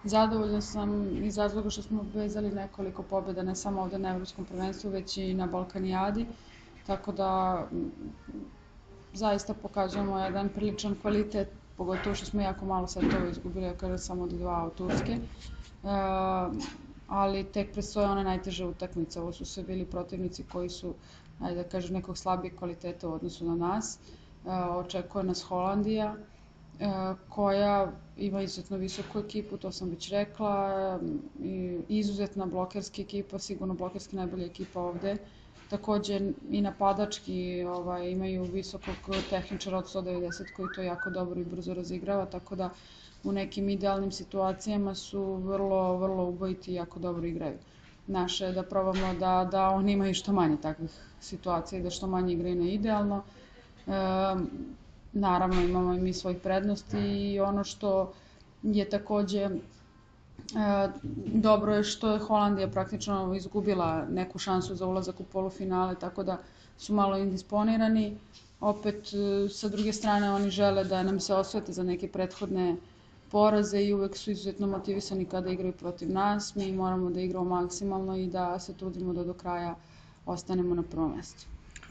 Zadovoljna sam iz razloga što smo vezali nekoliko pobjeda, ne samo ovde na Evropskom prvenstvu, već i na Balkanijadi. Tako da zaista pokazujemo jedan priličan kvalitet, pogotovo što smo jako malo setova izgubili, ja kažem samo od 2 od Turske. Ali tek predstoje one najteže utakmice. Ovo su sve bili protivnici koji su, ajde da kažem, nekog slabijeg kvaliteta u odnosu na nas. Očekuje nas Holandija, koja ima izuzetno visoku ekipu, to sam već rekla, i izuzetna blokerska ekipa, sigurno blokerski najbolja ekipa ovde. Takođe i napadački imaju visokog tehničara od 190 koji to jako dobro i brzo razigrava, tako da u nekim idealnim situacijama su vrlo ubojiti i jako dobro igraju. Naše je da probamo da oni imaju što manje takvih situacija i da što manje igraju na idealno. Naravno imamo i mi svojih prednosti i ono što je takođe dobro je što je Holandija praktično izgubila neku šansu za ulazak u polufinale, tako da su malo indisponirani. Opet, sa druge strane, oni žele da nam se osvete za neke prethodne poraze i uvek su izuzetno motivisani kada igraju protiv nas. Mi moramo da igramo maksimalno i da se trudimo da do kraja ostanemo na prvom mestu.